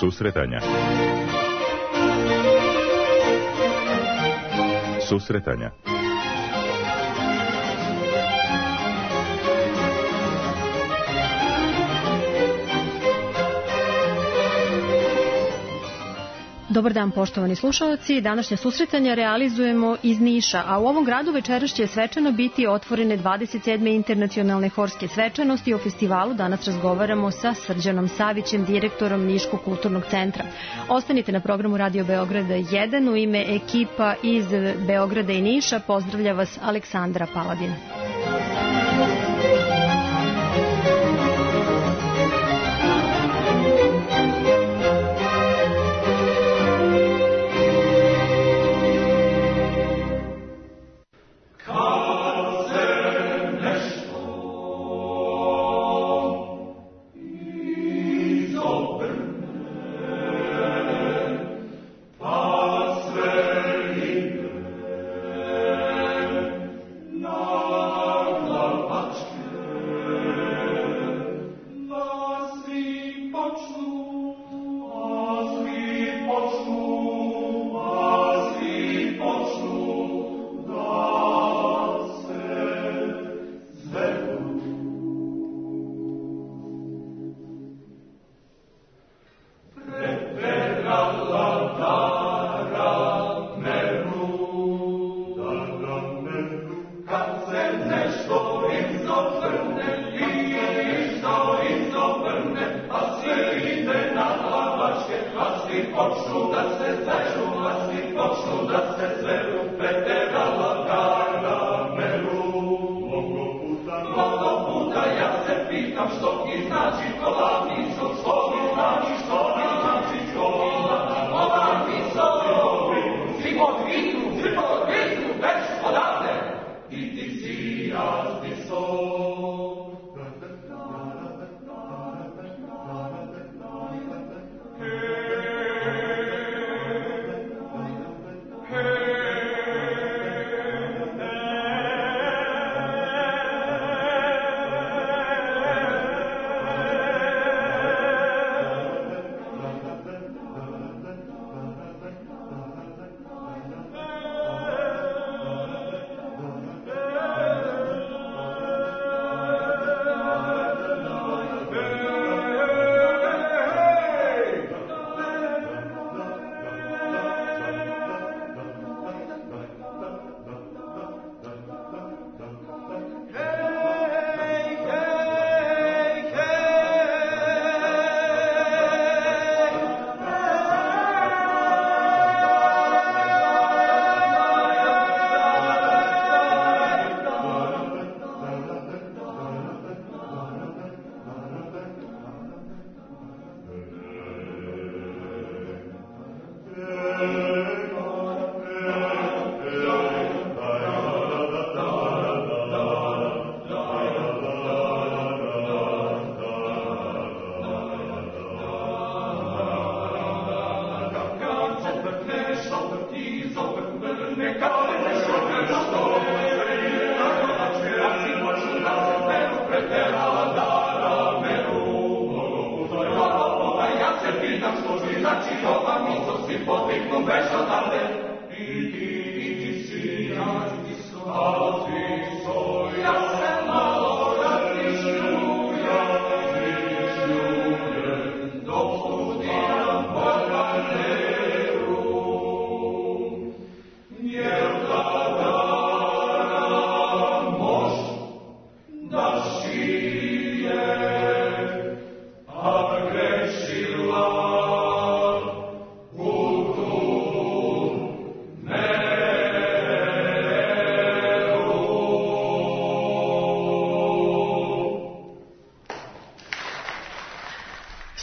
Susretanja. Susretanja. Dobar dan, poštovani slušalci. Današnje susretanja realizujemo iz Niša, a u ovom gradu večeras će svečano biti otvorene 27. internacionalne horske svečanosti. O festivalu danas razgovaramo sa Srđanom Savićem, direktorom Niškog kulturnog centra. Ostanite na programu Radio Beograda 1. U ime ekipa iz Beograda i Niša pozdravlja vas Aleksandra Paladin.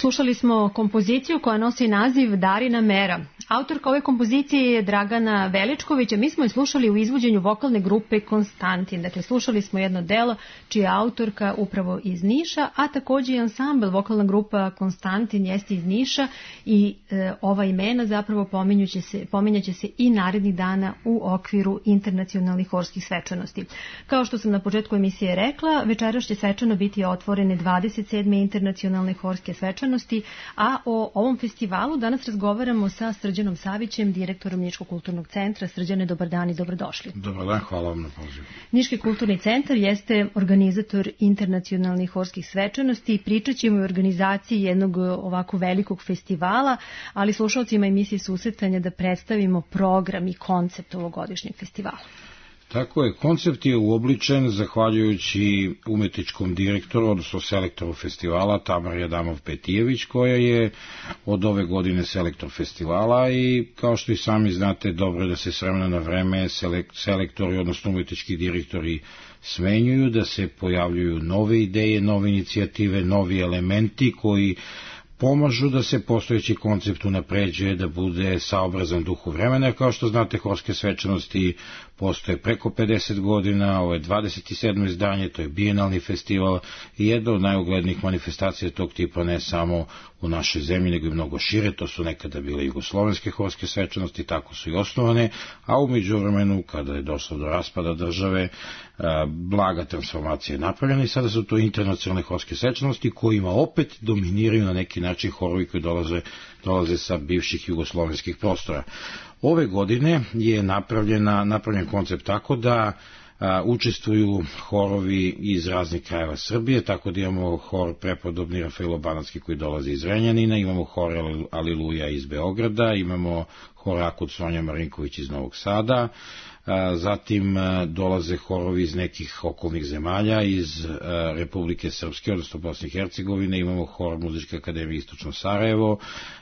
Slušali smo kompoziciju koja nosi naziv Darina mera, Autorka ove kompozicije je Dragana Veličković, a mi smo je slušali u izvođenju vokalne grupe Konstantin. Dakle, slušali smo jedno delo čija je autorka upravo iz Niša, a takođe i ansambl, vokalna grupa Konstantin jeste iz Niša i ova imena zapravo pominjaće se i narednih dana u okviru internacionalnih horskih svečanosti. Kao što sam na početku emisije rekla, večeras će svečano biti otvorene 27. internacionalne horske svečanosti, a o ovom festivalu danas razgovaramo sa Srđanom Savićem, direktorom Niškog kulturnog centra. Srđane, dobar dan i dobrodošli. Dobar dan, hvala vam na pozivu. Niški kulturni centar jeste organizator internacionalnih horskih svečanosti i pričat ćemo o organizaciji jednog ovako velikog festivala, ali slušalcima emisije Susretanja da predstavimo program i koncept ovogodišnjeg festivala. Tako je, koncept je uobličen zahvaljujući umetničkom direktoru, odnosno selektoru festivala Tamari Adamov-Petijević, koja je od ove godine selektor festivala i kao što i sami znate, dobro je da se s vremena na vreme selektori, odnosno umetnički direktori smenjuju, da se pojavljuju nove ideje, nove inicijative, novi elementi koji pomažu da se postojeći koncept unapređuje, da bude saobrazan duhu vremena, jer kao što znate, horske svečanosti postoje preko 50 godina, ovo je 27. izdanje, to je bijenalni festival i jedna od najuglednijih manifestacija tog tipa ne samo u našoj zemlji, nego i mnogo šire. To su nekada bile jugoslovenske horske svečanosti, tako su i osnovane, a u međuvremenu, kada je došlo do raspada države, blaga transformacija je napravljena i sada su to internacionalne horske svečanosti kojima opet dominiraju na neki način horovi koji dolaze sa bivših jugoslovenskih prostora. Ove godine je napravljen koncept tako da učestvuju horovi iz raznih krajeva Srbije, tako da imamo hor prepodobni Rafailo Banatski koji dolazi iz Renjanina, imamo hor Aliluja iz Beograda, imamo hor Akud Sonja Marinković iz Novog Sada, zatim dolaze horovi iz nekih okolnih zemalja, iz Republike Srpske, odnosno Bosne i Hercegovine, imamo hor Muzičke akademije Istočno Sarajevo,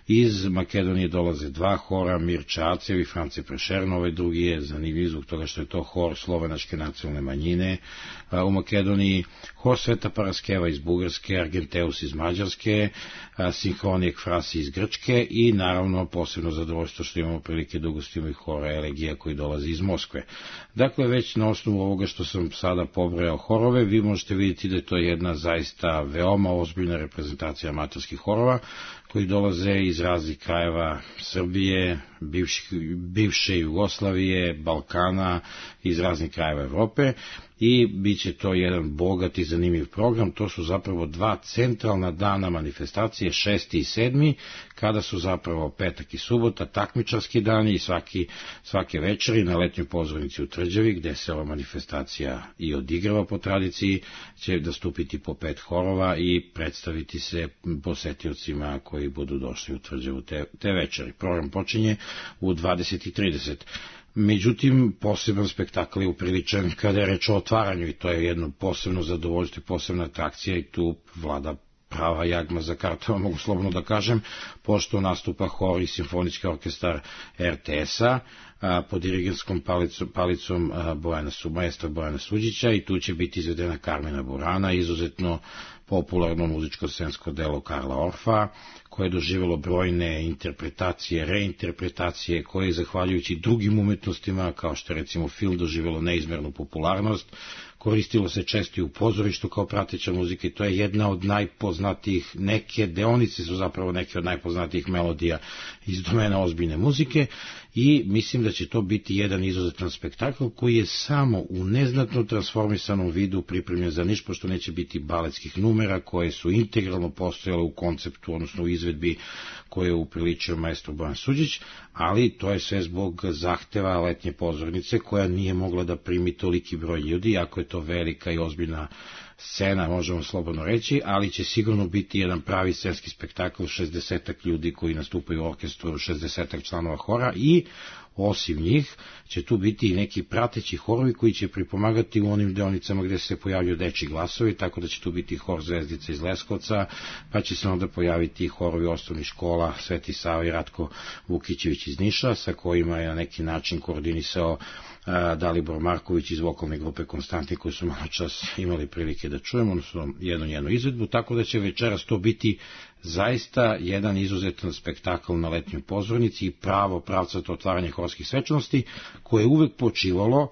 iz Makedonije dolaze dva hora, Mirča Acev i France Prešern, ovaj drugi je zanimljiv zbog toga što je to hor slovenačke nacionalne manjine u Makedoniji, hor Sveta Paraskeva iz Bugarske, Argenteus iz Mađarske, Sinhronijek Frasi iz Grčke i naravno posebno zadovoljstvo što imamo prilike da ugostimo i hora Elegija koji dolazi iz Moskve. Dakle, već na osnovu ovoga što sam sada pobrojao horove, vi možete vidjeti da je to jedna zaista veoma ozbiljna reprezentacija amaterskih horova koji dolaze iz raznih krajeva Srbije, bivše Jugoslavije, Balkana, iz raznih krajeva Evrope i bit će to jedan bogat i zanimljiv program. To su zapravo dva centralna dana manifestacije, 6. i 7. kada su zapravo petak i subota takmičarski dani i svake večeri na letnjoj pozornici u Tvrđavi, gde se ova manifestacija i odigrava po tradiciji, će nastupiti po 5 horova i predstaviti se posetiocima koji budu došli u Tvrđavu te večeri. Program počinje u 20:30. Međutim, poseban spektakl je upriličan kada je reč o otvaranju i to je jedno posebno zadovoljstvo i posebna atrakcija i tu vlada prava jagma za kartova, mogu slobodno da kažem, pošto nastupa hor i simfonički orkestar RTS-a pod dirigentskom palicom maestra Bojana Suđića i tu će biti izvedena Karmina Burana, izuzetno popularno muzičko-scensko delo Karla Orfa, koje je doživjelo brojne interpretacije, reinterpretacije, koje je zahvaljujući drugim umetnostima, kao što je recimo film, doživjelo neizmernu popularnost, koristilo se često i u pozorištu kao prateća muzika i to je jedna od najpoznatijih, neke deonice su zapravo neke od najpoznatijih melodija iz domena ozbiljne muzike i mislim da će to biti jedan izuzetan spektakl koji je samo u neznatno transformisanom vidu pripremljen za Niš, pošto neće biti baletskih numera koje su integralno postojale u konceptu, odnosno u izvedbi koje je upriličio maestro Bojan Suđić, ali to je sve zbog zahteva letnje pozornice koja nije mogla da primi toliki broj ljudi, iako je to velika i ozbiljna scena, možemo slobodno reći, ali će sigurno biti jedan pravi scenski spektakl, 60 ljudi koji nastupaju u orkestru, 60 članova hora i osim njih će tu biti i neki prateći horovi koji će pripomagati u onim deonicama gde se pojavljuju dečji glasovi, tako da će tu biti hor Zvezdica iz Leskovca, pa će se onda pojaviti i horovi osnovnih škola Sveti Sava i Ratko Vukićević iz Niša, sa kojima je na neki način koordinisao Dalibor Marković iz vokalne grupe Konstantin, koji su malo čas imali prilike da čujemo, odnosno jednu njenu izvedbu, tako da će večeras to biti zaista jedan izuzetan spektakl na letnjoj pozornici i pravcato otvaranje horskih svečanosti, koje je uvek počivalo,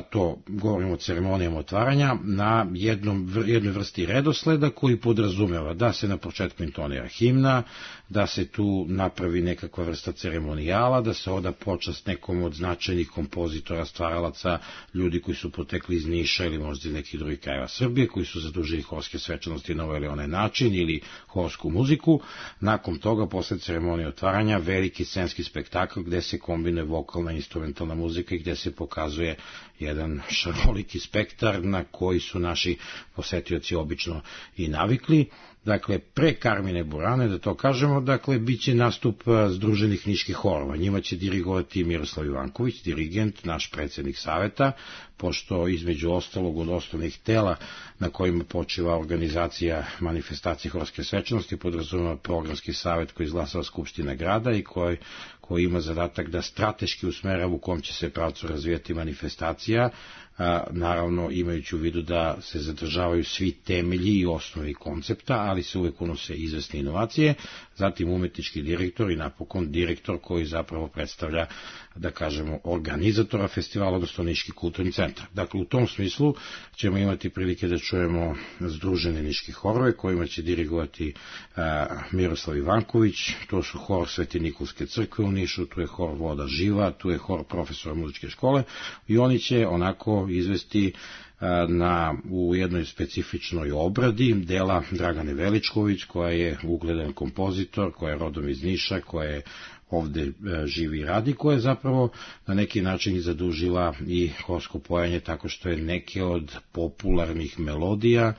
to govorimo o ceremonijama otvaranja, na jednoj vrsti redosleda koji podrazumeva da se na početku intonira himna, da se tu napravi nekakva vrsta ceremonijala, da se oda počast nekom od značajnih kompozitora, stvaralaca, ljudi koji su potekli iz Niša ili možda iz nekih drugih krajeva Srbije, koji su zadužili horske svečanosti na ovaj ili onaj način ili horsku muziku. Nakon toga, posle ceremonije otvaranja, veliki scenski spektakl gde se kombinuje vokalna i instrumentalna muzika i gde se pokazuje jedan šaroliki spektar na koji su naši posetioci obično i navikli. Dakle, pre Karmine Burane, da to kažemo, dakle, bit će nastup Združenih niških horova. Njima će dirigovati Miroslav Ivanković, dirigent, naš predsednik saveta, pošto između ostalog od osnovnih tela na kojima počiva organizacija manifestacije horske svečanosti podrazumeva programski savet koji izglasava Skupština grada i koji ima zadatak da strateški usmerava u kom će se pravcu razvijati manifestacija, naravno imajući u vidu da se zadržavaju svi temelji i osnovi koncepta, ali se uvek unose izvesne inovacije, zatim umetnički direktor i napokon direktor koji zapravo predstavlja, da kažemo, organizatora festivala, odnosno Niški kulturni centar. Dakle, u tom smislu ćemo imati prilike da čujemo Združene niški horove kojima će dirigovati Miroslav Ivanković, to su hor Sveti Nikolske crkve u Nišu, tu je hor Voda živa, tu je hor profesora muzičke škole i oni će onako izvesti u jednoj specifičnoj obradi dela Dragane Veličković, koja je ugledan kompozitor, koja je rodom iz Niša, koja je ovde živi i radi, koja je zapravo na neki način zadužila i horsko pojanje tako što je neke od popularnih melodija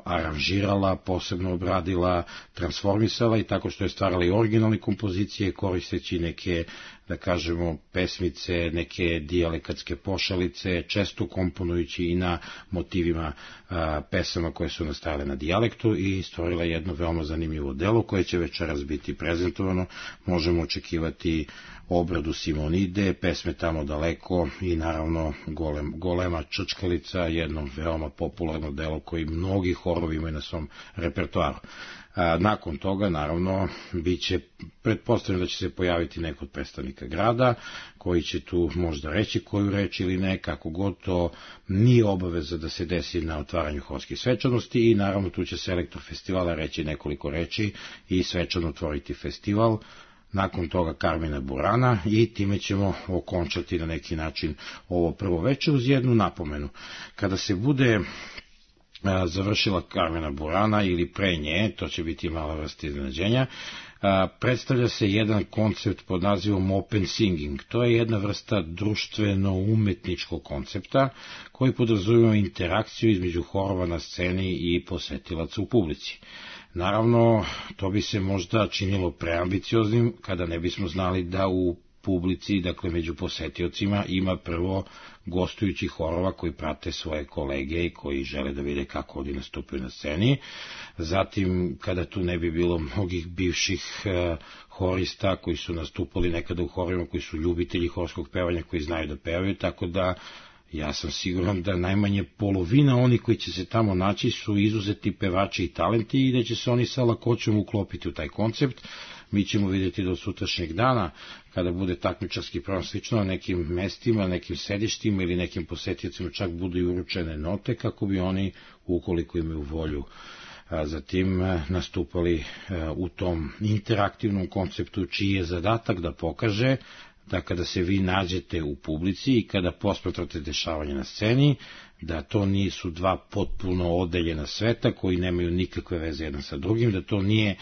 aranžirala, posebno obradila, transformisala i tako što je stvarala i originalne kompozicije koristeći neke, da kažemo, pesmice, neke dijalekatske pošalice, često komponujući i na motivima pesama koje su nastajale na dijalektu i stvorila jedno veoma zanimljivo delo koje će večeras biti prezentovano. Možemo očekivati obradu Simonide, pesme Tamo daleko i naravno Golema čačkalica, jedno veoma popularno delo koji mnogi horovi imaju na svom repertoaru. Nakon toga, naravno, pretpostavljeno da će se pojaviti neko od predstavnika grada, koji će tu možda reći koju reč ili ne, kako god to nije obaveza da se desi na otvaranju horskih svečanosti i naravno tu će selektor festivala reći nekoliko reči i svečano otvoriti festival. Nakon toga Karmina Burana i time ćemo okončati na neki način ovo prvo večer uz jednu napomenu. Kada se bude završila Karmina Burana ili pre nje, to će biti mala vrsta iznenađenja, predstavlja se jedan koncept pod nazivom Open Singing. To je jedna vrsta društveno-umetničkog koncepta koji podrazumeva interakciju između horova na sceni i posetilaca u publici. Naravno, to bi se možda činilo preambicioznim kada ne bismo znali da u publici, dakle među posetiocima, ima prvo gostujućih horova koji prate svoje kolege i koji žele da vide kako oni nastupaju na sceni. Zatim, kada tu ne bi bilo mnogih bivših horista koji su nastupali nekada u horovima, koji su ljubitelji horskog pevanja, koji znaju da pevaju, tako da ja sam siguran da najmanje polovina oni koji će se tamo naći su izuzeti pevači i talenti i da će se oni sa lakoćom uklopiti u taj koncept. Mi ćemo vidjeti do sutrašnjeg dana, kada bude takmičarski program slično na nekim mestima, nekim sedištima ili nekim posetiocima čak budu i uručene note kako bi oni, ukoliko imaju volju, zatim nastupali u tom interaktivnom konceptu čiji je zadatak da pokaže da kada se vi nađete u publici i kada posmatrate dešavanje na sceni, da to nisu dva potpuno odeljena sveta koji nemaju nikakve veze jedan sa drugim, da to nije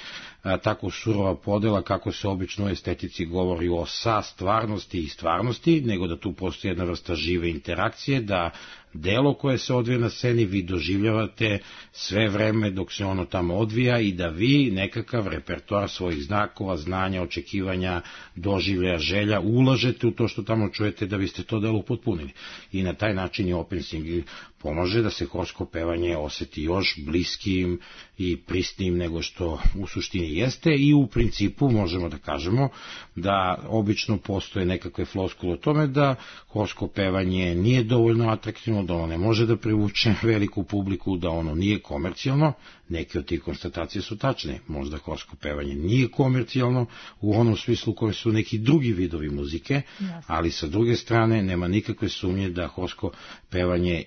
tako surova podela kako se obično u estetici govori o stvarnosti i stvarnosti, nego da tu postoji jedna vrsta žive interakcije, da delo koje se odvija na sceni vi doživljavate sve vreme dok se ono tamo odvija i da vi nekakav repertoar svojih znakova, znanja, očekivanja, doživljaja, želja ulažete u to što tamo čujete da biste to delo upotpunili. I na taj način je Open Singing pomaže da se horsko pevanje oseti još bliskim i prisnim nego što u suštini jeste i u principu možemo da kažemo da obično postoje nekakve floskule o tome da horsko pevanje nije dovoljno atraktivno, da ono ne može da privuče veliku publiku, da ono nije komercijalno. Neke od tih konstatacije su tačne. Možda horsko pevanje nije komercijalno u onom smislu koje su neki drugi vidovi muzike, ali sa druge strane nema nikakve sumnje da horsko pevanje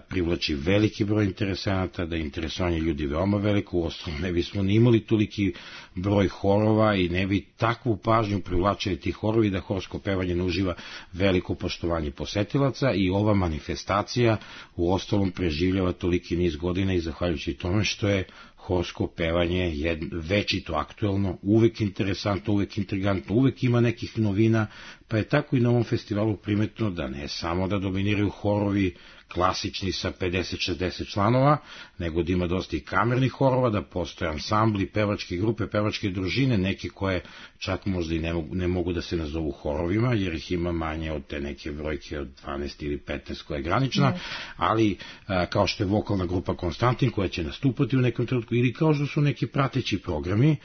privlači veliki broj interesanata, da je interesovanje ljudi veoma veliko, uostalom ne bismo ni imali toliki broj horova i ne bi takvu pažnju privlačili ti horovi da horsko pevanje ne uživa veliko poštovanje posetilaca i ova manifestacija uostalom preživljava toliki niz godina i zahvaljujući tome što je horsko pevanje je večito aktuelno, uvek interesantno, uvek intrigantno, uvek ima nekih novina, pa je tako i na ovom festivalu primetno da ne samo da dominiraju horovi klasični sa 50-60 članova, nego da ima dosta i kamernih horova, da postoje ansambli, pevačke grupe, pevačke družine, neke koje čak možda i ne mogu da se nazovu horovima, jer ih ima manje od te neke brojke od 12 ili 15 koja je granična, ali kao što je vokalna grupa Konstantin koja će nastupati u nekom trenutku, ili kao što su neki prateći programi.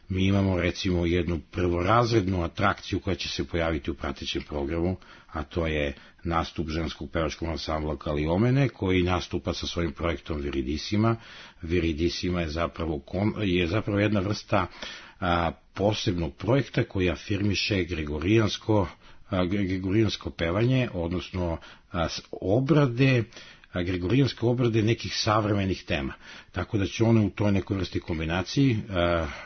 Mi imamo recimo jednu prvorazrednu atrakciju koja će se pojaviti u pratećem programu, a to je nastup ženskog pevačkog ansambla Kaliomene, koji nastupa sa svojim projektom Viridissima. Viridissima je zapravo jedna vrsta posebnog projekta koji afirmiše gregorijansko pevanje, odnosno gregorijanske obrade nekih savremenih tema. Tako da će one u toj nekoj vrsti kombinaciji,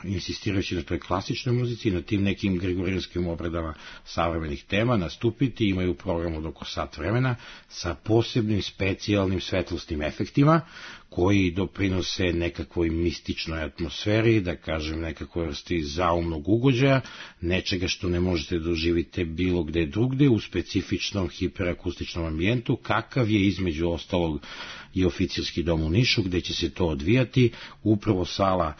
insistirajući na toj klasičnoj muzici i na tim nekim gregorijanskim obradama savremenih tema, nastupiti, imaju program od oko sat vremena sa posebnim specijalnim svetlosnim efektima koji doprinose nekakvoj mističnoj atmosferi, da kažem nekakvoj vrsti zaumnog ugođaja, nečega što ne možete doživite bilo gde drugde u specifičnom hiperakustičnom ambijentu, kakav je između ostalog i oficirski dom u Nišu, gde će se to odvijati, upravo sala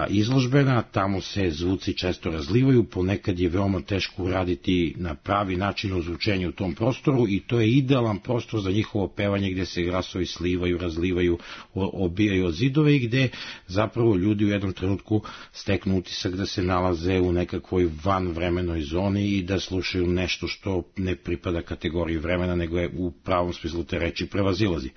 izložbena, tamo se zvuci često razlivaju, ponekad je veoma teško uraditi na pravi način ozvučenje u tom prostoru i to je idealan prostor za njihovo pevanje gde se glasovi slivaju, razlivaju, obijaju od zidove i gde zapravo ljudi u jednom trenutku steknu utisak da se nalaze u nekakvoj vanvremenoj zoni i da slušaju nešto što ne pripada kategoriji vremena, nego je u pravom smislu te reči prevazilazi.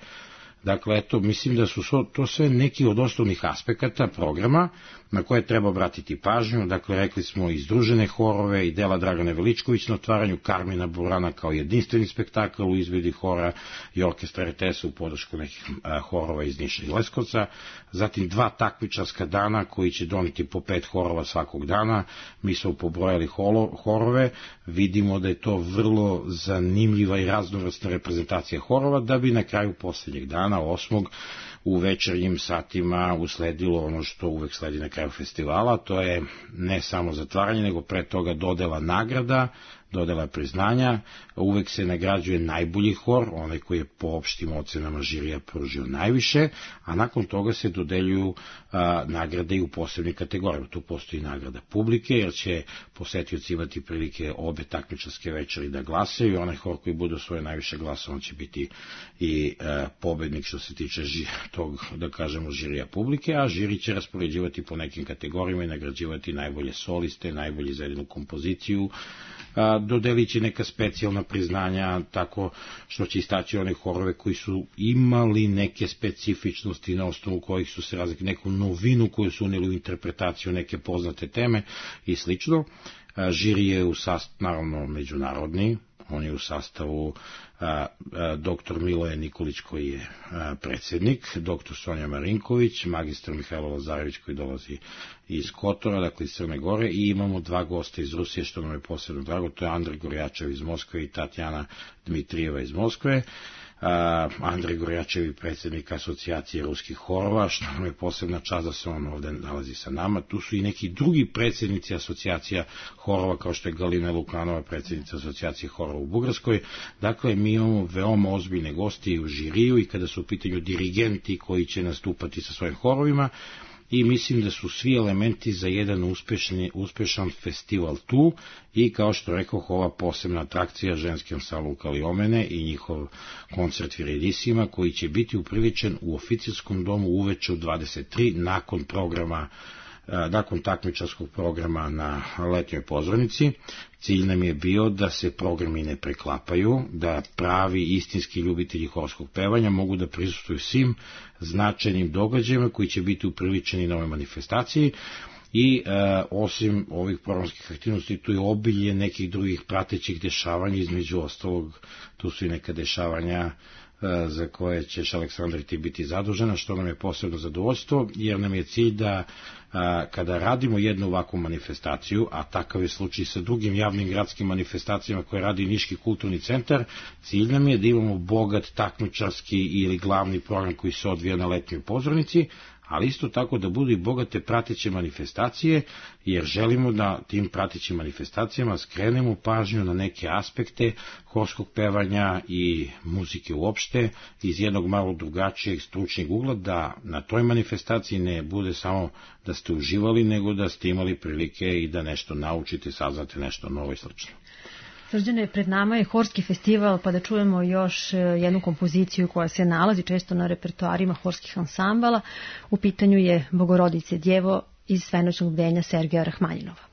Dakle, eto, mislim da su to sve neki od osnovnih aspekata programa na koje treba obratiti pažnju. Dakle, rekli smo i združene horove i dela Dragane Veličković na otvaranju, Karmina Burana kao jedinstveni spektakl u izvedbi hora i orkestra RTS-a u podršku nekih horova iz Niša i Leskovca, zatim 2 takmičarska dana koji će doneti po 5 horova svakog dana. Mi smo pobrojali horove, vidimo da je to vrlo zanimljiva i raznovrsna reprezentacija horova, da bi na kraju poslednjeg dana, 8. u večernjim satima usledilo ono što uvek sledi na kraju festivala, to je ne samo zatvaranje, nego pre toga dodela nagrada, dodela priznanja, uvek se nagrađuje najbolji hor, onaj koji je po opštim ocenama žirija pružio najviše, a nakon toga se dodeljuju nagrade i u posebnim kategorijama. Tu postoji nagrada publike, jer će posetioci imati prilike obe takmičarske večeri da glasaju i onaj hor koji bude svoje najviše glasa, on će biti i pobednik što se tiče tog, da kažemo, žirija publike, a žiri će raspoređivati po nekim kategorijama i nagrađivati najbolje soliste, najbolji za jednu kompoziciju, dodelit će neka specijalna priznanja, tako što će istaći one horove koji su imali neke specifičnosti na osnovu kojih su se razlikli, neku novinu koju su unijeli u interpretaciju neke poznate teme i slično. Žiri je u sastavu, naravno, međunarodni, on je u sastavu dr. Miloje Nikolić koji je predsjednik, dr. Sonja Marinković, magistar Mihajlo Lazarević koji dolazi iz Kotora, dakle iz Crne Gore, i imamo 2 gosta iz Rusije što nam je posebno drago, to je Andrej Gorjačev iz Moskve i Tatjana Dmitrijeva iz Moskve. Andrej Gorjačev je predsjednik asocijacije ruskih horova, što nam je posebna čast da se on ovde nalazi sa nama. Tu su i neki drugi predsjednici asocijacija horova, kao što je Galina Lukanova, predsjednica asocijacije horova u Bugarskoj. Dakle, mi imamo veoma ozbiljne gosti u žiriju i kada su u pitanju dirigenti koji će nastupati sa svojim horovima. i mislim da su svi elementi za jedan uspešan festival tu i kao što rekoh, ova posebna atrakcija ženski ansambl Kaliomene i njihov koncert Viridissima koji će biti upriličen u oficirskom domu uveče u 23 nakon takmičarskog programa na letnjoj pozornici. Cilj nam je bio da se programi ne preklapaju, da pravi istinski ljubitelji horskog pevanja mogu da prisustvuju svim značajnim događajima koji će biti upriličeni na ovoj manifestaciji i osim ovih programskih aktivnosti tu je obilje nekih drugih pratećih dešavanja, između ostalog tu su i neka dešavanja za koje ćeš, Aleksandar, ti biti zadužena, što nam je posebno zadovoljstvo, jer nam je cilj da kada radimo jednu ovakvu manifestaciju, a takav je slučaj sa drugim javnim gradskim manifestacijama koje radi Niški kulturni centar, cilj nam je da imamo bogat takmičarski ili glavni program koji se odvija na letnjoj pozornici, ali isto tako da budu i bogate prateće manifestacije, jer želimo da tim pratećim manifestacijama skrenemo pažnju na neke aspekte horskog pevanja i muzike uopšte iz jednog malo drugačijeg stručnog ugla, da na toj manifestaciji ne bude samo da ste uživali, nego da ste imali prilike i da nešto naučite, saznate nešto novo i slično. Srđane, pred nama je horski festival, pa da čujemo još jednu kompoziciju koja se nalazi često na repertoarima horskih ansambala. U pitanju je Bogorodice djevo iz Svenoćnog bdenja Sergeja Rahmanjinova.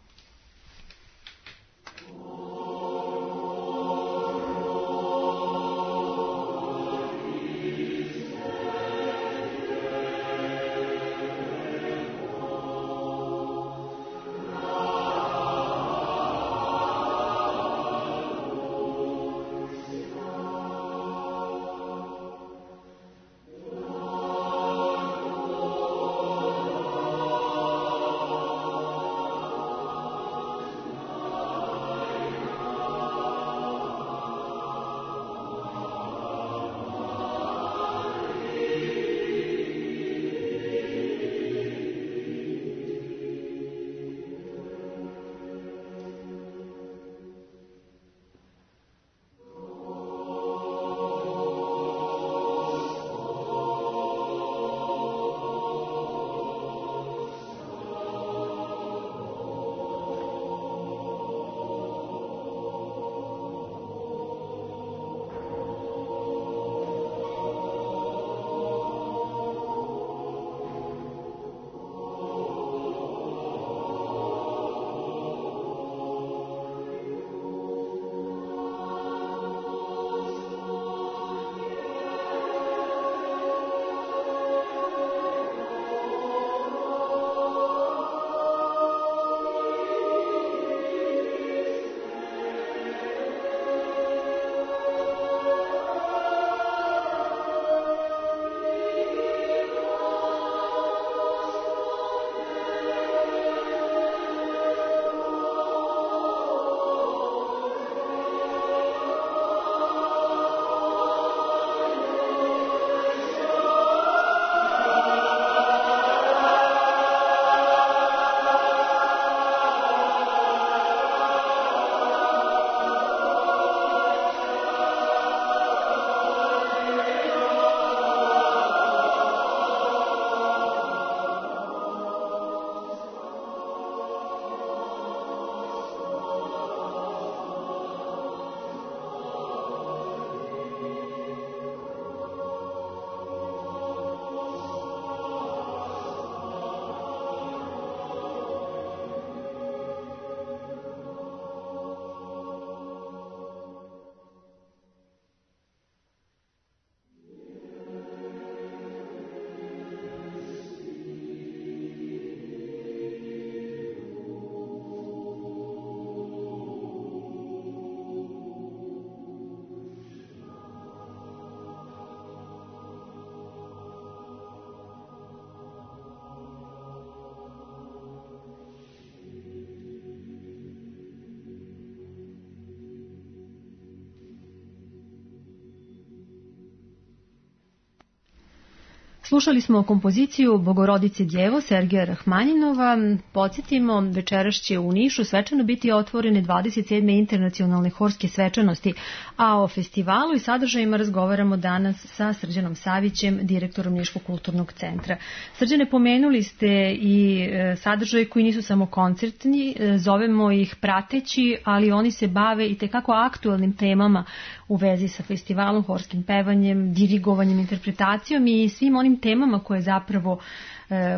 Slušali smo kompoziciju Bogorodice Djevo Sergeja Rahmaninova. Podsjetimo, večeras će u Nišu svečano biti otvorene 27. internacionalne horske svečanosti, a o festivalu i sadržajima razgovaramo danas sa Srđanom Savićem, direktorom Niškog kulturnog centra. Srđane, pomenuli ste i sadržaje koji nisu samo koncertni, zovemo ih prateći, ali oni se bave i tekako aktualnim temama u vezi sa festivalom, horskim pevanjem, dirigovanjem, interpretacijom i svim onim temama koje zapravo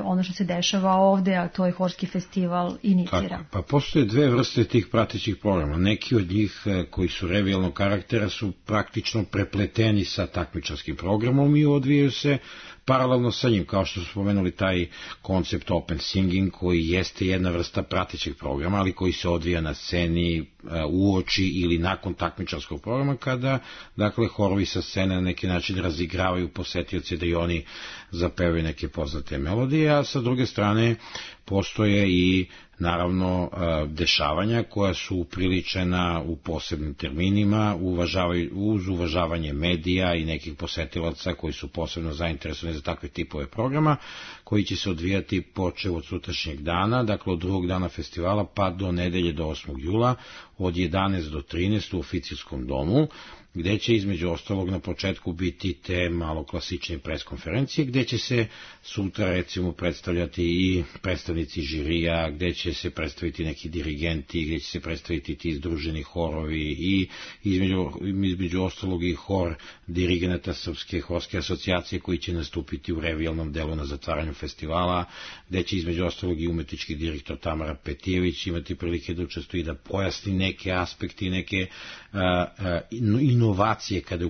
ono što se dešava ovde, a to je horski festival inicira. Tako, pa postoje dve vrste tih pratećih programa. Neki od njih koji su revijalnog karaktera su praktično prepleteni sa takmičarskim programom i odvijaju se paralelno sa njim, kao što su spomenuli taj koncept open singing koji jeste jedna vrsta pratećeg programa, ali koji se odvija na sceni uoči ili nakon takmičarskog programa, kada dakle horovi sa scene na neki način razigravaju posetioce da i oni zapevaju neke poznate melodije, a sa druge strane postoje i naravno dešavanja koja su upriličena u posebnim terminima uz uvažavanje medija i nekih posetilaca koji su posebno zainteresovani za takve tipove programa, koji će se odvijati počev od sutrašnjeg dana, dakle od drugog dana festivala pa do nedelje do 8. jula od 11 do 13 u Oficilskom domu, gde će između ostalog na početku biti te malo klasične preskonferencije, gde će se sutra recimo predstavljati i predstavnici žirija, gde će se predstaviti neki dirigenti, gde će se predstaviti ti združeni horovi i između ostalog i hor dirigenata Srpske horske asocijacije koji će nastupiti u revijalnom delu na zatvaranju festivala, gde će između ostalog i umetnički direktor Tamara Petijević imati prilike da učestvuje i da pojasni neke aspekti, neke inovacije kada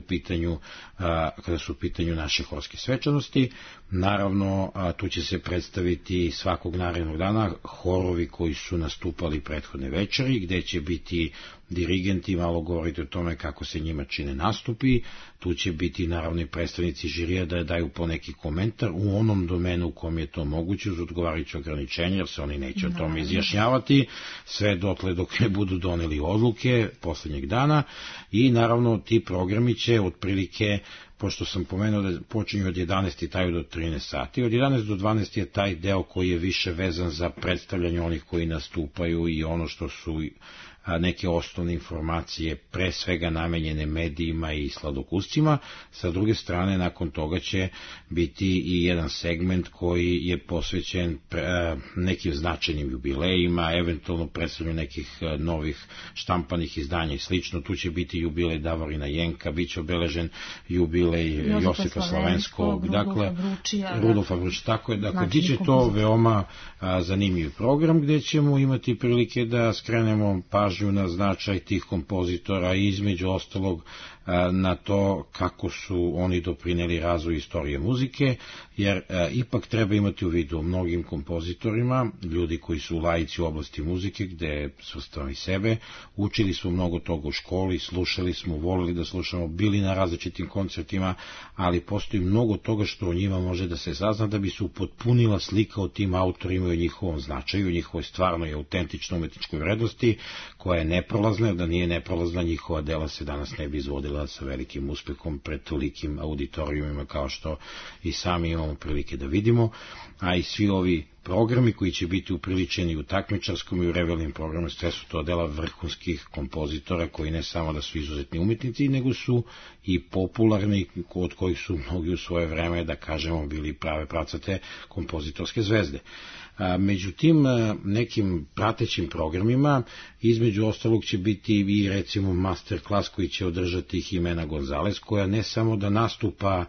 su u pitanju naše horske svečanosti. Naravno, tu će se predstaviti svakog narednog dana horovi koji su nastupali prethodne večeri, gde će biti dirigenti malo govoriti o tome kako se njima čine nastupi. Tu će biti naravno i predstavnici žirija da daju po neki komentar u onom domenu u kom je to moguće uz odgovarajuće ograničenje, jer se oni neće o tome izjašnjavati sve dotle dok ne budu doneli odluke poslednjeg dana. I naravno ti programi će otprilike, pošto sam pomenuo da počinju od 11 i traju do 13 sati, od 11 do 12 je taj deo koji je više vezan za predstavljanje onih koji nastupaju i ono što su neke osnovne informacije, pre svega namenjene medijima i sladokuscima. Sa druge strane, nakon toga će biti i jedan segment koji je posvećen nekim značajnim jubilejima, eventualno predstavljanju nekih novih štampanih izdanja i slično. Tu će biti jubilej Davorina Jenka, bit će obeležen jubilej Josipa Slavenskog, dakle Rudolfa Vručija, tako je, dakle bit će to veoma zanimljiv program gde ćemo imati prilike da skrenemo pažnju na značaj tih kompozitora i između ostalog na to kako su oni doprineli razvoju istorije muzike, jer ipak treba imati u vidu mnogim kompozitorima, ljudi koji su laici u oblasti muzike, gde svrstavamo i sebe, učili smo mnogo toga u školi, slušali smo, volili da slušamo, bili na različitim koncertima, ali postoji mnogo toga što o njima može da se sazna da bi se upotpunila slika o tim autorima i o njihovom značaju, o njihovoj stvarnoj i autentičnoj umetničkoj vrednosti, koja je neprolazna, jer da nije neprolazna njihova dela se danas ne bi izvodila sa velikim uspehom pred tolikim auditorijumima kao što i sami imamo prilike da vidimo, a i svi ovi programi koji će biti upriličeni u takmičarskom i u revijalnim programu, sve su to dela vrhunskih kompozitora koji ne samo da su izuzetni umetnici, nego su i popularni, od kojih su mnogi u svoje vreme, da kažemo, bili prave pravcate kompozitorske zvezde. Među tim nekim pratećim programima, između ostalog će biti i recimo masterclass koji će održati Jimena Gonzalez, koja ne samo da nastupa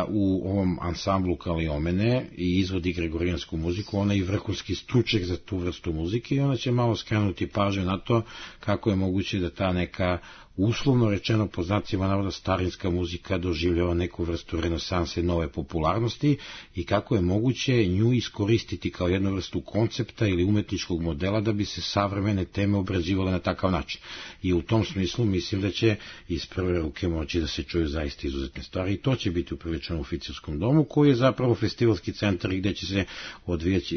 u ovom ansamblu Kaliomene i izvodi gregorijansku muziku, ona je i vrhunski stručnjak za tu vrstu muzike i ona će malo skrenuti pažnju na to kako je moguće da ta neka uslovno rečeno po znacima navoda starinska muzika doživljava neku vrstu renesanse nove popularnosti i kako je moguće nju iskoristiti kao jednu vrstu koncepta ili umetničkog modela da bi se savremene teme obrađivale na takav način. I u tom smislu mislim da će iz prve ruke moći da se čuju zaista izuzetne stvari i to će biti upriličeno u Oficilskom domu, koji je zapravo festivalski centar i gde će se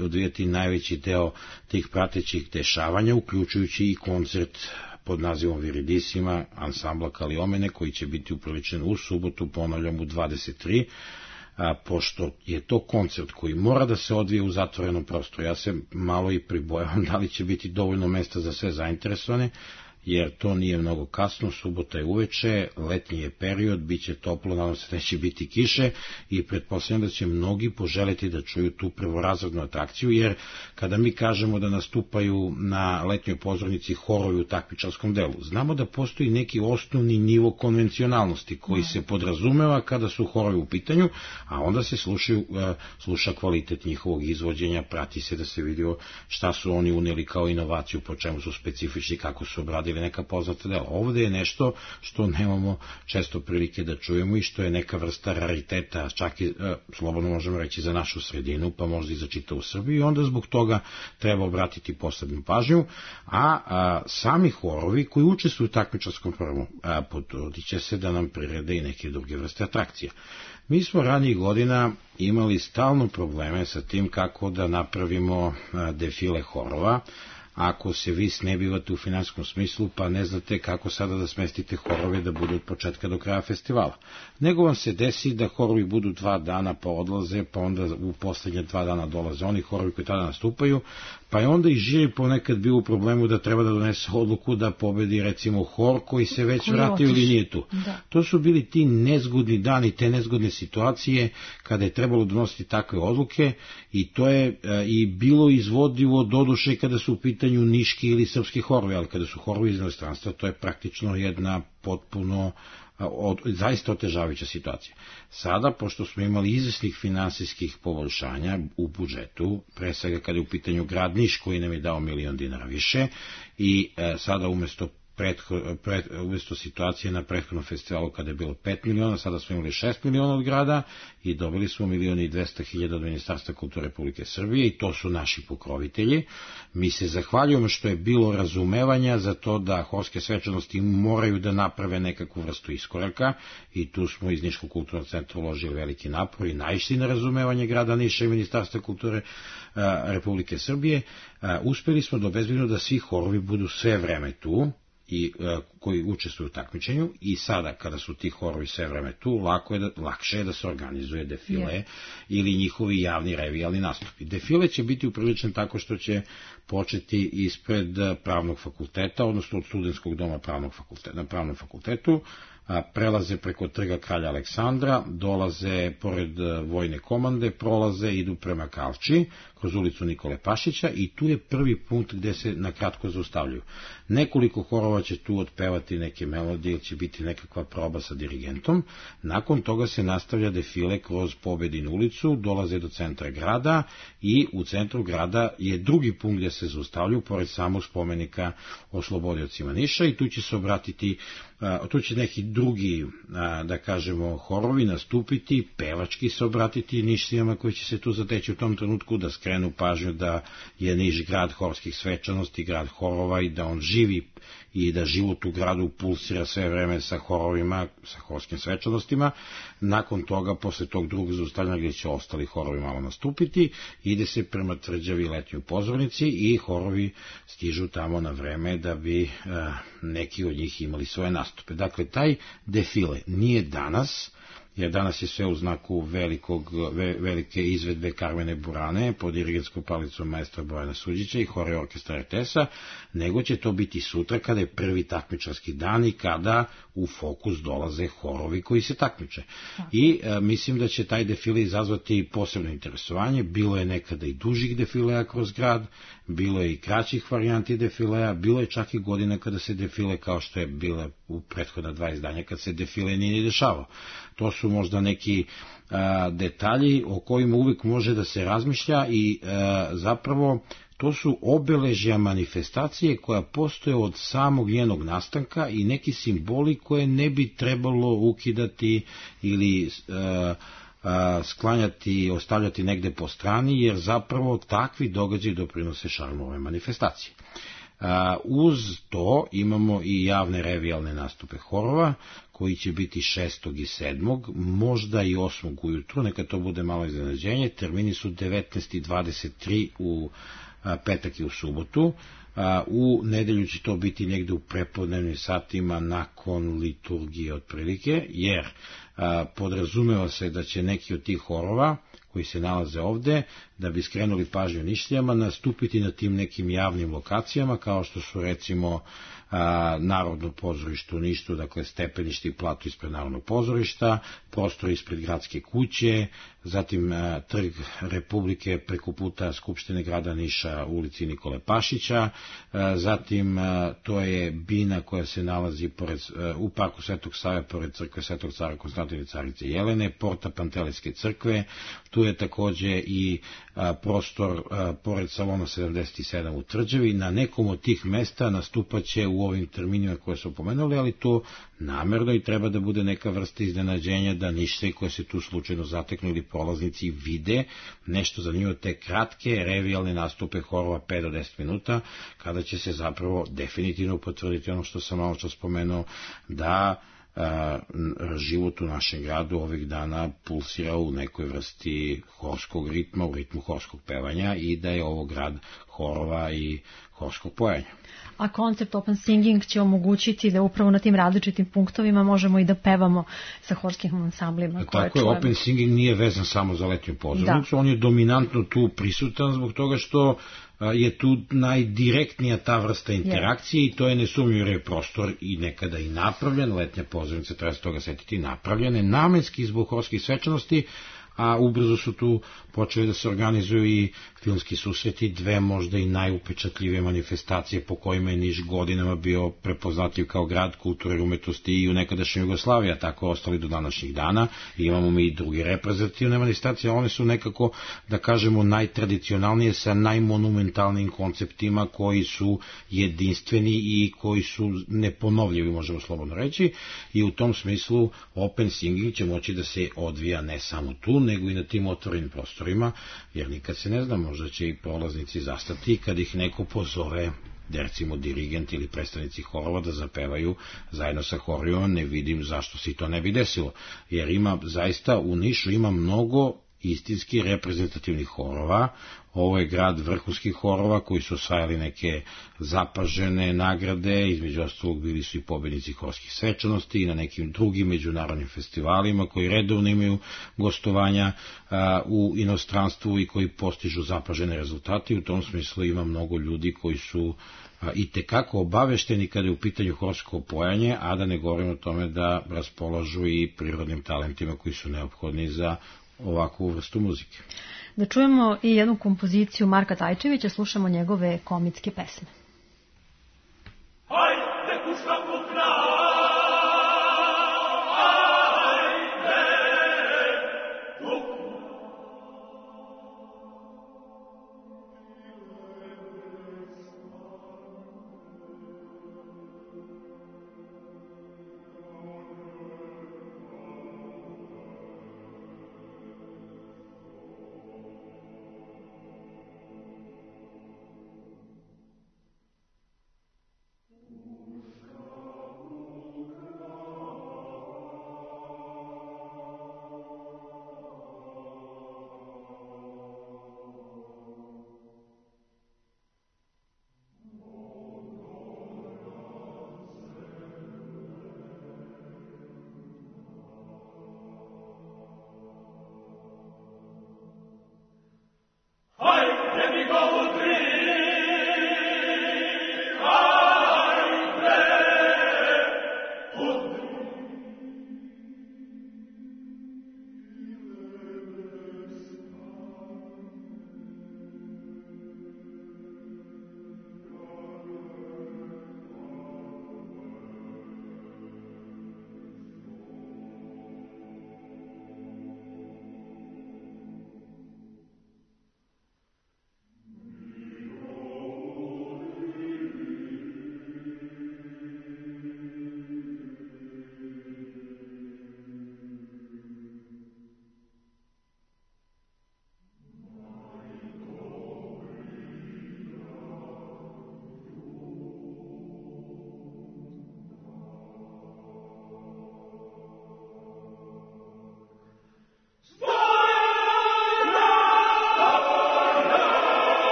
odvijati najveći deo tih pratećih dešavanja, uključujući i koncert pod nazivom Viridissima ansambla Kaliomene, koji će biti upriličen u subotu, ponavljam, u 23 pošto je to koncert koji mora da se odvije u zatvorenom prostoru. Ja se malo i pribojavam da li će biti dovoljno mesta za sve zainteresovane, jer to nije mnogo kasno, subota je uveče, letnji je period, bit će toplo, nadam se neće biti kiše i pretpostavljam da će mnogi poželiti da čuju tu prvorazrednu atrakciju, jer kada mi kažemo da nastupaju na letnjoj pozornici horovi u takmičarskom delu, znamo da postoji neki osnovni nivo konvencionalnosti koji se podrazumeva kada su horovi u pitanju, a onda se sluša kvalitet njihovog izvođenja, prati se da se vidio šta su oni uneli kao inovaciju, po čemu su specifični, kako su obradili ili neka poznata dela. Ovde je nešto što nemamo često prilike da čujemo i što je neka vrsta rariteta, čak i slobodno možemo reći za našu sredinu, pa možda i za čitavu Srbiju, i onda zbog toga treba obratiti posebnu pažnju, a sami horovi koji učestvuju u takmičarskom programu potrudit će se da nam prirede i neke druge vrste atrakcija. Mi smo ranijih godina imali stalno probleme sa tim kako da napravimo defile horova. Ako se vi snebivate u finanskom smislu, pa ne znate kako sada da smestite horove da budu od početka do kraja festivala. Nego vam se desi da horovi budu 2 dana pa odlaze, pa onda u poslednje 2 dana dolaze oni horovi koji tada nastupaju, pa je onda i žiri ponekad bio u problemu da treba da donese odluku da pobedi recimo hor koji se već vratio ili nije tu. Da. To su bili ti nezgodni dani, te nezgodne situacije kada je trebalo donositi takve odluke i to je i bilo izvodljivo doduše kada su u pitanju niški ili srpski horovi, ali kada su horovi iz inostranstva to je praktično jedna potpuno zaista otežavajuća situacija. Sada, pošto smo imali izvesnih finansijskih poboljšanja u budžetu, pre svega kada je u pitanju grad Niš koji nam je dao $1.000.000 više i sada umesto situacije na prethodnom festivalu kada je bilo 5 miliona, sada smo imali 6 miliona od grada i dobili smo 1.200.000 od Ministarstva kulture Republike Srbije i to su naši pokrovitelji. Mi se zahvaljujemo što je bilo razumevanja za to da horske svečanosti moraju da naprave nekakvu vrstu iskoraka i tu smo iz Niškog kulturnog centra uložili veliki napor i naišli na razumevanje grada Niša i Ministarstva kulture Republike Srbije. Uspeli smo da obezbedimo da svi horovi budu sve vreme tu i koji učestvuju u takmičenju i sada kada su ti horovi sve vreme tu, lakše je da se organizuje defile ili njihovi javni revijalni nastupi. Defile će biti upriličen tako što će početi ispred pravnog fakulteta, odnosno od studentskog doma na pravnom fakultetu, prelaze preko trga Kralja Aleksandra, dolaze pored vojne komande, prolaze, idu prema Kavči, kroz ulicu Nikole Pašića i tu je prvi punkt gde se na kratko zaustavljaju. Nekoliko horova će tu otpevati neke melodije ili će biti nekakva proba sa dirigentom. Nakon toga se nastavlja defile kroz Pobedinu ulicu, dolaze do centra grada i u centru grada je drugi punkt gde se zaustavljaju, pored samog spomenika oslobodiocima Niša i tu će se obratiti, tu će neki drugi, da kažemo, horovi nastupiti, pevački se obratiti Nišcijama koji će se tu zateći u tom trenutku, da skrenu pažnju da je Niš grad horskih svečanosti, grad horova i da on živi i da život u gradu pulsira sve vreme sa horovima, sa horskim svečanostima. Nakon toga, posle tog drugog zaustavljanja gdje će ostali horovi malo nastupiti, ide se prema tvrđavi letnjoj pozornici i horovi stižu tamo na vreme da bi neki od njih imali svoje nastupe. Dakle, taj defile nije danas, jer danas je sve u znaku velike izvedbe Karmene Burane pod dirigenskom palicom maestra Bojana Suđića i hore orkestra RTS-a, nego će to biti sutra kada je prvi takmičarski dan i kada u fokus dolaze horovi koji se takmiče. I mislim da će taj defile izazvati posebno interesovanje. Bilo je nekada i dužih defilea kroz grad, bilo je i kraćih varijanti defilea, bilo je čak i godina kada se defile, kao što je bila u prethodna 2 izdanja, kad se defile nije dešavao. To su možda neki detalji o kojima uvijek može da se razmišlja i zapravo to su obeležja manifestacije koja postoje od samog njenog nastanka i neki simboli koje ne bi trebalo ukidati ili sklanjati, ostavljati negde po strani, jer zapravo takvi događaji doprinose šarmu ove manifestacije. Uz to imamo i javne revijalne nastupe horova, koji će biti 6. i 7. možda i 8. ujutru, neka to bude malo iznenađenje. Termini su 19. i 23. u petak i u subotu. U nedelju će to biti negde u prepodnevnim satima nakon liturgije otprilike, jer podrazumeva se da će neki od tih horova koji se nalaze ovde, da bi skrenuli pažnju Nišlijama, nastupiti na tim nekim javnim lokacijama, kao što su recimo Narodno pozorište u Nišu, dakle stepenište i plato ispred Narodnog pozorišta, prostor ispred gradske kuće, zatim Trg Republike preko puta Skupštine grada Niša u ulici Nikole Pašića, zatim to je bina koja se nalazi u parku Svetog Save pored crkve Svetog cara Konstantina i carice Jelene, porta Pantelejske crkve, tu je takođe i prostor pored salona 77 u Tvrđavi. Na nekom od tih mesta nastupaće u ovim terminima koje su pomenuli, ali to namerno i treba da bude neka vrsta iznenađenja da Nišlije koje se tu slučajno zateknu ili prolaznici vide nešto za njih od te kratke revijalne nastupe horova 5 do 10 minuta, kada će se zapravo definitivno potvrditi ono što sam malo čas spomenuo, da život u našem gradu ovih dana pulsira u nekoj vrsti horskog ritma, u ritmu horskog pevanja i da je ovo grad horova i horskog pojanja. A koncept Open Singing će omogućiti da upravo na tim različitim punktovima možemo i da pevamo sa horskim ansamblima. Tako je, Open Singing nije vezan samo za letnju pozornicu, on je dominantno tu prisutan zbog toga što je tu najdirektnija ta vrsta interakcije i to je nesumnjivo jer je prostor i nekada i napravljen, letnja pozornica, treba se toga setiti, napravljene namenski zbog horskih svečanosti, a ubrzo su tu počeli da se organizuju i filmski susreti, dve možda i najupečatljivije manifestacije po kojima je Niš godinama bio prepoznatljiv kao grad kulture i umetnosti i u nekadašnjoj Jugoslaviji, a tako ostali do današnjih dana. I imamo mi i druge reprezentativne manifestacije, one su nekako, da kažemo, najtradicionalnije sa najmonumentalnijim konceptima koji su jedinstveni i koji su neponovljivi, možemo slobodno reći, i u tom smislu Open Singing će moći da se odvija ne samo tu, nego i na tim otvorenim prostorima, jer nikad se ne zna, možda će i prolaznici zastati kad ih neko pozove, recimo dirigent ili predstavnici horova da zapevaju zajedno sa horijom, ne vidim zašto se to ne bi desilo, jer ima zaista u Nišu ima mnogo istinski reprezentativnih horova. Ovo je grad vrhunskih horova koji su osvajali neke zapažene nagrade, između ostalog bili su i pobednici horskih svečanosti i na nekim drugim međunarodnim festivalima koji redovno imaju gostovanja u inostranstvu i koji postižu zapažene rezultate. U tom smislu ima mnogo ljudi koji su i tekako obavešteni kada je u pitanju horsko pojanje, a da ne govorim o tome da raspolažu i prirodnim talentima koji su neophodni za ovakvu vrstu muzike. Da čujemo i jednu kompoziciju Marka Tajčevića, slušamo njegove komitske pesme.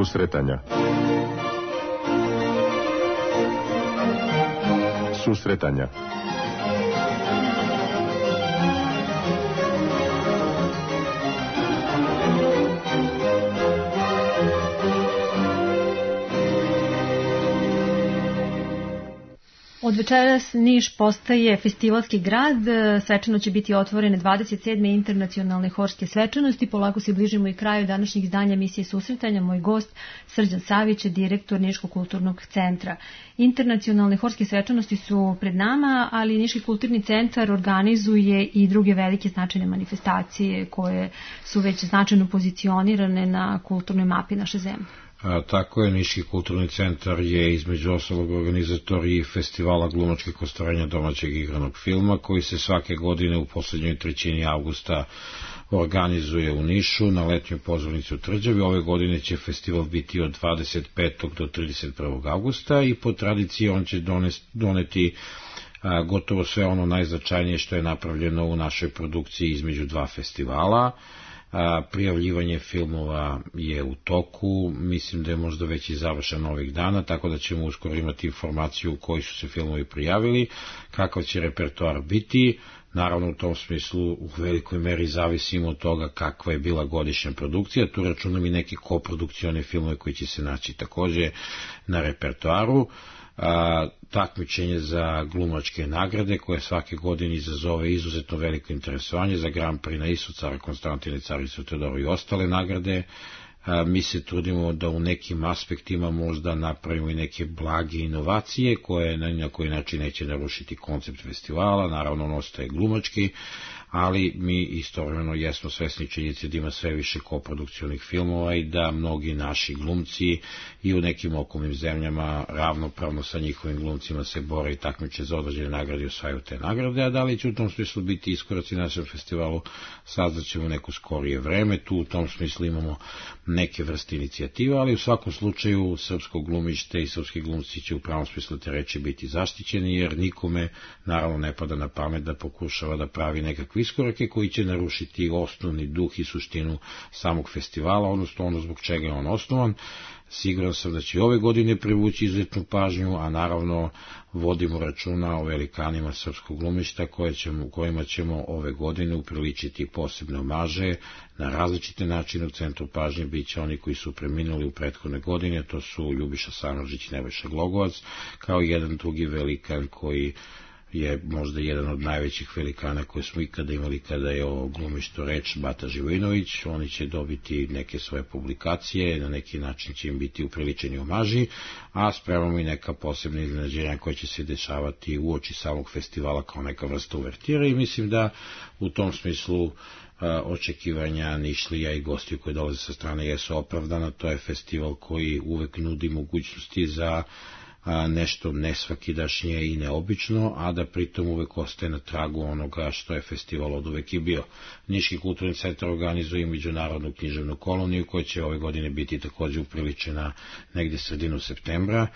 Susretanja. Susretanja. Od večeras Niš postaje festivalski grad, svečano će biti otvorene 27. internacionalne horske svečanosti. Polako se bližimo i kraju današnjeg izdanja emisije Susretanja. Moj gost Srđan Savić je direktor Niškog kulturnog centra. Internacionalne horske svečanosti su pred nama, ali Niški kulturni centar organizuje i druge velike značajne manifestacije koje su već značajno pozicionirane na kulturnoj mapi naše zemlje. Tako je, Niški kulturni centar je između ostalog organizator i festivala glumačkih ostvarenja domaćeg igranog filma, koji se svake godine u poslednjoj trećini avgusta organizuje u Nišu na letnjoj pozornici u Tvrđavi. Ove godine će festival biti od 25. do 31. avgusta i po tradiciji on će doneti gotovo sve ono najznačajnije što je napravljeno u našoj produkciji između dva festivala. Prijavljivanje filmova je u toku, mislim da je možda već i završen ovih dana, tako da ćemo uskoro imati informaciju koji su se filmovi prijavili, kakav će repertoar biti. Naravno, u tom smislu u velikoj meri zavisimo od toga kakva je bila godišnja produkcija. Tu računam i neke koprodukcione filmove koji će se naći takođe na repertoaru. Takmičenje za glumačke nagrade koje svake godine izazove izuzetno veliko interesovanje, za Grand Prix na Isu, Cara Konstantine, Caricu Teodoru i ostale nagrade. Mi se trudimo da u nekim aspektima možda napravimo i neke blage inovacije koje na koji način neće narušiti koncept festivala, naravno on ostaje glumački, ali mi istovremeno jesmo svesni činjenice da ima sve više koprodukcionih filmova i da mnogi naši glumci i u nekim okolnim zemljama ravnopravno sa njihovim glumcima se bore i takmiče za određene nagrade i osvajaju te nagrade, a da li će u tom smislu biti iskoraci na našem festivalu, saznaćemo neko skorije vreme. Tu u tom smislu imamo neke vrste inicijativa, ali u svakom slučaju srpsko glumište i srpski glumci će u pravom smislu te reči biti zaštićeni, jer nikome naravno ne pada na pamet da pokušava da pravi nekakve iskorake koji će narušiti osnovni duh i suštinu samog festivala, odnosno ono zbog čega je on osnovan. Siguran sam da će ove godine privući izuzetnu pažnju, a naravno vodimo računa o velikanima srpskog glumišta kojima ćemo ove godine upriličiti posebne omaže na različite načine. U centru pažnje bit će oni koji su preminuli u prethodne godine, to su Ljubiša Samardžić i Nebojša Glogovac, kao i jedan drugi velikan koji je možda jedan od najvećih velikana koje smo ikada imali kada je o glumištu reč, Bata Živojinović. Oni će dobiti neke svoje publikacije, na neki način će im biti upriličeni omaži, a spremamo i neka posebna iznenađenja koja će se dešavati uoči samog festivala kao neka vrsta uvertira i mislim da u tom smislu očekivanja Nišlija i gostiju koji dolaze sa strane jesu opravdana. To je festival koji uvek nudi mogućnosti za nešto nesvakidašnje i neobično, a da pritom uvek ostaje na tragu onoga što je festival od uvek i bio. Niški kulturni centar organizuje međunarodnu književnu koloniju koja će ove godine biti takođe upriličena negde sredinu septembra.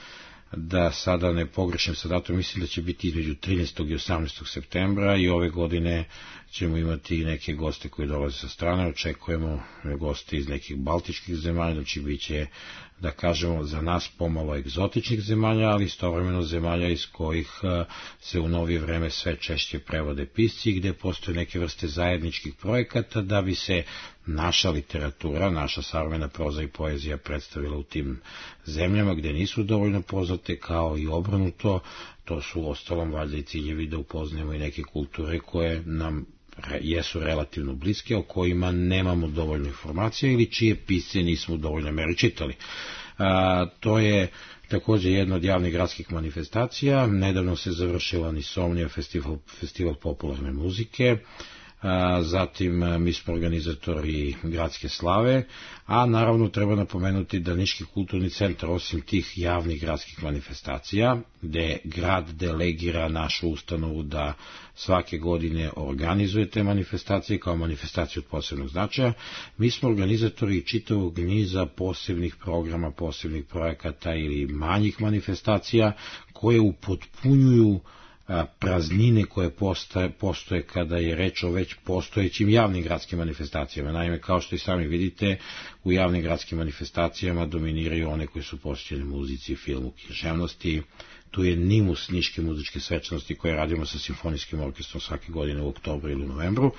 Da sada ne pogrešim sa datom, mislim da će biti između 13. i 18. septembra i ove godine ćemo imati neke goste koji dolaze sa strane, očekujemo goste iz nekih baltičkih zemalja, znači bit će, da kažemo, za nas pomalo egzotičnih zemalja, ali istovremeno zemalja iz kojih se u novije vreme sve češće prevode pisci, gde postoje neke vrste zajedničkih projekata da bi se naša literatura, naša savremena proza i poezija predstavila u tim zemljama gde nisu dovoljno poznate, kao i obrnuto. To su ostalom valjda i ciljevi da upoznajemo i neke kulture koje nam jesu relativno bliske, o kojima nemamo dovoljno informacija ili čije pisce nismo u dovoljnoj meri čitali. To je takođe jedna od javnih gradskih manifestacija. Nedavno se završila Nisomnija, festival popularne muzike. Zatim mi smo organizatori gradske slave, a naravno treba napomenuti da Niški kulturni centar, osim tih javnih gradskih manifestacija, gde grad delegira našu ustanovu da svake godine organizuje te manifestacije kao manifestacije od posebnog značaja, mi smo organizatori čitavog niza posebnih programa, posebnih projekata ili manjih manifestacija koje upotpunjuju praznine koje postoje kada je reč o već postojećim javnim gradskim manifestacijama. Naime, kao što i sami vidite, u javnim gradskim manifestacijama dominiraju one koje su posvećene muzici, filmu, književnosti. tu je Nimus Niške muzičke svečanosti koje radimo sa simfonijskim orkestrom svake godine u oktobru ili novembru.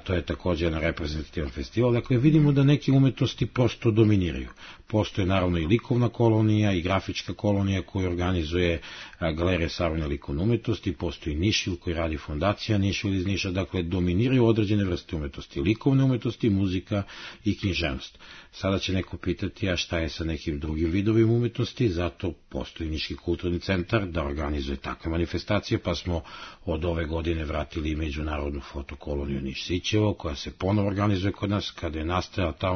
To je također jedan reprezentativan festival. Dakle, vidimo da neke umetnosti prosto dominiraju. Postoje naravno i likovna kolonija i grafička kolonija koju organizuje Galerija savremene likovne umetnosti, postoji Nišvil koji radi fondacija Nišvil iz Niša, dakle dominiraju određene vrste umetnosti, likovne umetnosti, muzika i književnost. Sada će neko pitati, a šta je sa nekim drugim vidovima umetnosti, zato postoji Niški kulturni centar da organizuje takve manifestacije, pa smo od ove godine vratili i međunarodnu fotokoloniju Niš Sićevo, koja se ponovo organizuje kod nas, kada je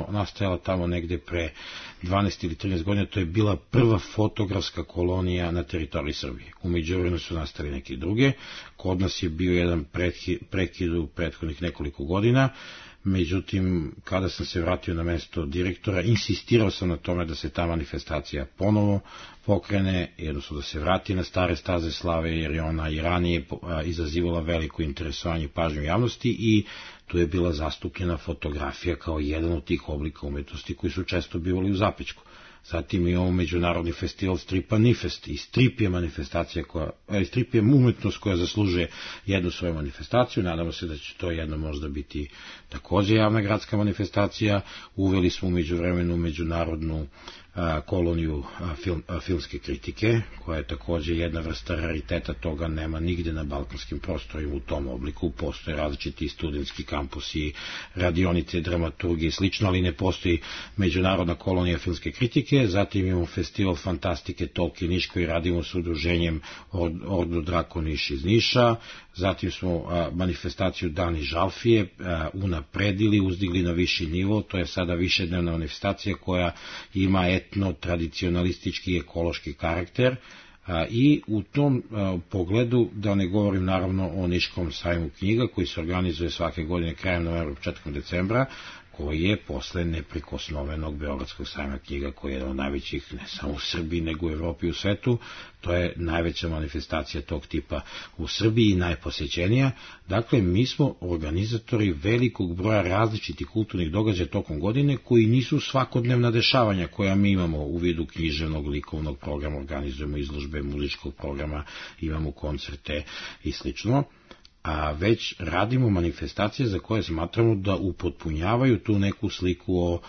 nastajala tamo negde pre 12 ili 13 godina, to je bila prva fotografska kolonija na teritoriji Srbije. U međuvremenu su nastali neke druge, kod nas je bio jedan prekid u prethodnih nekoliko godina, međutim, kada sam se vratio na mesto direktora, insistirao sam na tome da se ta manifestacija ponovo pokrene, jednostavno da se vrati na stare staze slave, jer je ona i ranije izazivala veliko interesovanje i pažnju javnosti i tu je bila zastupljena fotografija kao jedan od tih oblika umetnosti koji su često bivali u zapećku. Zatim imamo međunarodni festival stripa Nifest i strip je manifestacija strip je umetnost koja zaslužuje jednu svoju manifestaciju. Nadamo se da će to jedno možda biti također javna gradska manifestacija. Uveli smo u međuvremenu međunarodnu koloniju filmske kritike, koja je također jedna vrsta rariteta, toga nema nigde na balkanskim prostorima u tom obliku. Postoje različiti studentski kampusi, radionice, dramaturgije i slično, ali ne postoji međunarodna kolonija filmske kritike. Zatim imamo festival fantastike Tolkien Niš koji radimo s udruženjem Ordo Drako Niš iz Niša. Zatim smo manifestaciju Dani Žalfije unapredili, uzdigli na viši nivo. To je sada višednevna manifestacija koja ima etno-tradicionalistički i ekološki karakter i u tom pogledu, da ne govorim naravno o Niškom sajmu knjiga koji se organizuje svake godine krajem novembra, početkom decembra, koji je posle neprikosnovenog Beogradskog sajma knjiga, koji je jedan od najvećih ne samo u Srbiji, nego u Evropi i u svetu. To je najveća manifestacija tog tipa u Srbiji i najposećenija. Dakle, mi smo organizatori velikog broja različitih kulturnih događaja tokom godine, koji nisu svakodnevna dešavanja koja mi imamo u vidu književnog, likovnog programa, organizujemo izložbe muzičkog programa, imamo koncerte i slično, a već radimo manifestacije za koje smatramo da upotpunjavaju tu neku sliku o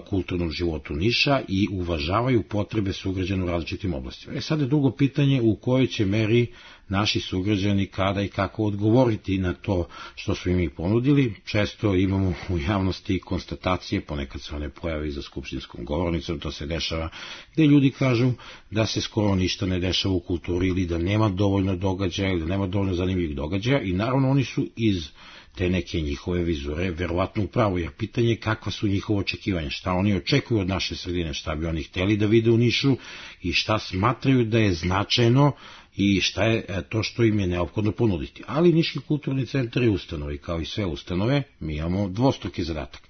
kulturnom životu Niša i uvažavaju potrebe sugrađana u različitim oblastima. Sad je drugo pitanje u kojoj će meri naši sugrađani kada i kako odgovoriti na to što su im ponudili. Često imamo u javnosti konstatacije, ponekad se one pojave za skupštinskom govornicom, to se dešava, gde ljudi kažu da se skoro ništa ne dešava u kulturi ili da nema dovoljno događaja ili da nema dovoljno zanimljivih događaja i naravno oni su iz te neke njihove vizure verovatno upravo, jer pitanje je kakva su njihove očekivanja, šta oni očekuju od naše sredine, šta bi oni hteli da vide u Nišu i šta smatraju da je značajno i šta je to što im je neophodno ponuditi. Ali Niški kulturni centar je ustanova i kao i sve ustanove mi imamo dvostruki zadatak.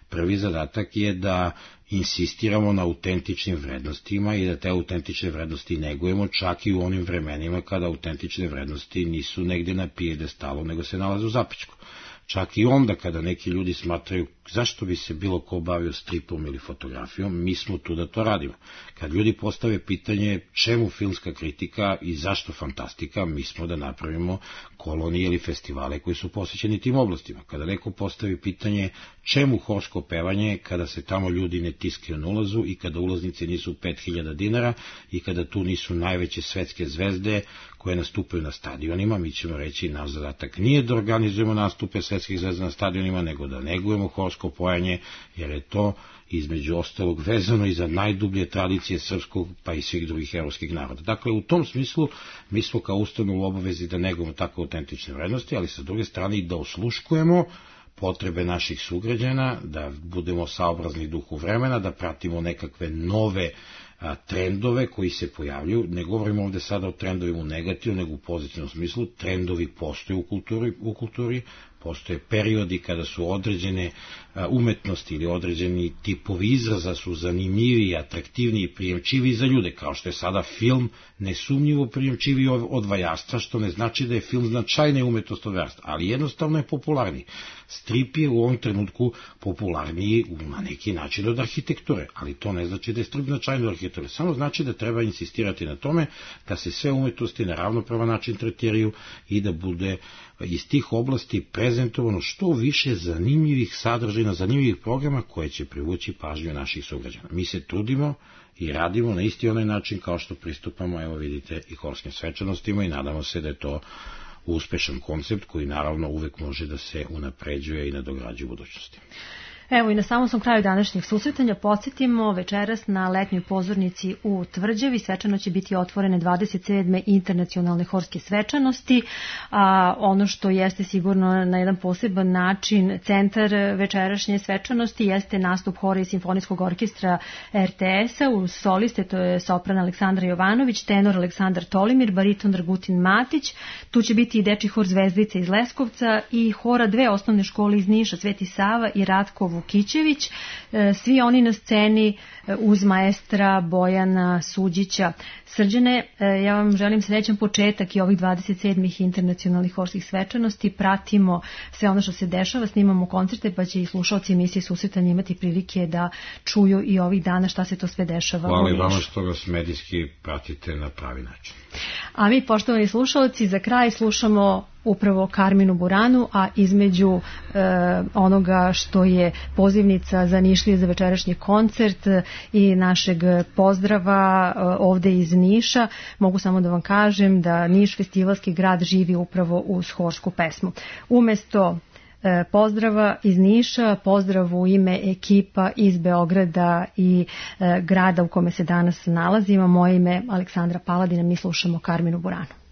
Prvi zadatak je da insistiramo na autentičnim vrednostima i da te autentične vrednosti negujemo čak i u onim vremenima kada autentične vrednosti nisu negde na pijedestalu, nego se nalaze u zapećku. Čak i onda kada neki ljudi smatraju zašto bi se bilo ko bavio stripom ili fotografijom, mi smo tu da to radimo. Kad ljudi postave pitanje čemu filmska kritika i zašto fantastika, mi smo da napravimo kolonije ili festivale koji su posvećeni tim oblastima. Kada neko postavi pitanje čemu horsko pevanje, kada se tamo ljudi ne tiskaju na ulazu i kada ulaznice nisu 5000 dinara i kada tu nisu najveće svetske zvezde koje nastupaju na stadionima, mi ćemo reći naš zadatak nije da organizujemo nastupe svetskih zvezda na stadionima, nego da negujemo horsko pojanje, jer je to između ostalog vezano i za najdublje tradicije srpskog pa i svih drugih evropskih naroda. Dakle, u tom smislu mi smo kao ustanova u obavezi da negujemo tako autentične vrednosti, ali sa druge strane i da osluškujemo potrebe naših sugrađana, da budemo saobrazni duhu vremena, da pratimo nekakve nove trendove koji se pojavljuju. Ne govorimo ovde sada o trendovima u negativnom, nego u pozitivnom smislu. Trendovi postoje u kulturi, Postoje periodi kada su određene umetnosti ili određeni tipovi izraza su zanimljiviji, atraktivniji, prijemčiviji za ljude, kao što je sada film nesumnjivo prijemčiviji od vajarstva, što ne znači da je film značajnija umetnost od vajarstva, ali jednostavno je popularniji. Strip je u ovom trenutku popularniji na neki način od arhitekture, ali to ne znači da je strip značajniji od arhitekture, samo znači da treba insistirati na tome da se sve umetnosti na ravnopravan način tretiraju i da bude iz tih oblasti prezentovano što više zanimljivih sadržina, zanimljivih programa koje će privući pažnju naših sugrađana. Mi se trudimo i radimo na isti onaj način kao što pristupamo, evo vidite, i horskim svečanostima i nadamo se da je to uspešan koncept koji naravno uvek može da se unapređuje i nadograđuje u budućnosti. Evo i na samom sam kraju današnjeg susretanja podsjetimo večeras na letnjoj pozornici u Tvrđavi. Svečano će biti otvorene 27. internacionalne horske svečanosti, a ono što jeste sigurno na jedan poseban način centar večerašnje svečanosti jeste nastup hora i simfonijskog orkestra RTS-a uz soliste, to je sopran Aleksandra Jovanović, tenor Aleksandar Tolimir, bariton Dragutin Matić, tu će biti i dečji hor Zvezdica iz Leskovca i hora dve osnovne škole iz Niša, Sveti Sava i Ratko Vukićević, svi oni na sceni uz maestra Bojana Suđića. Srđane, ja vam želim srećan početak i ovih 27. internacionalnih horskih svečanosti. Pratimo sve ono što se dešava, snimamo koncerte, pa će i slušalci emisije Susretanja imati prilike da čuju i ovih dana šta se to sve dešava. Hvala i vama što vas medijski pratite na pravi način. A mi, poštovani slušalci, za kraj slušamo upravo Karminu Buranu, a između onoga što je pozivnica za Nišlije za večerašnji koncert i našeg pozdrava ovde iz Niša, mogu samo da vam kažem da Niš festivalski grad živi upravo uz horsku pesmu. Umesto pozdrava iz Niša, pozdrav u ime ekipa iz Beograda i grada u kome se danas nalazimo, moje ime Aleksandra Paladina, mi slušamo Karminu Buranu.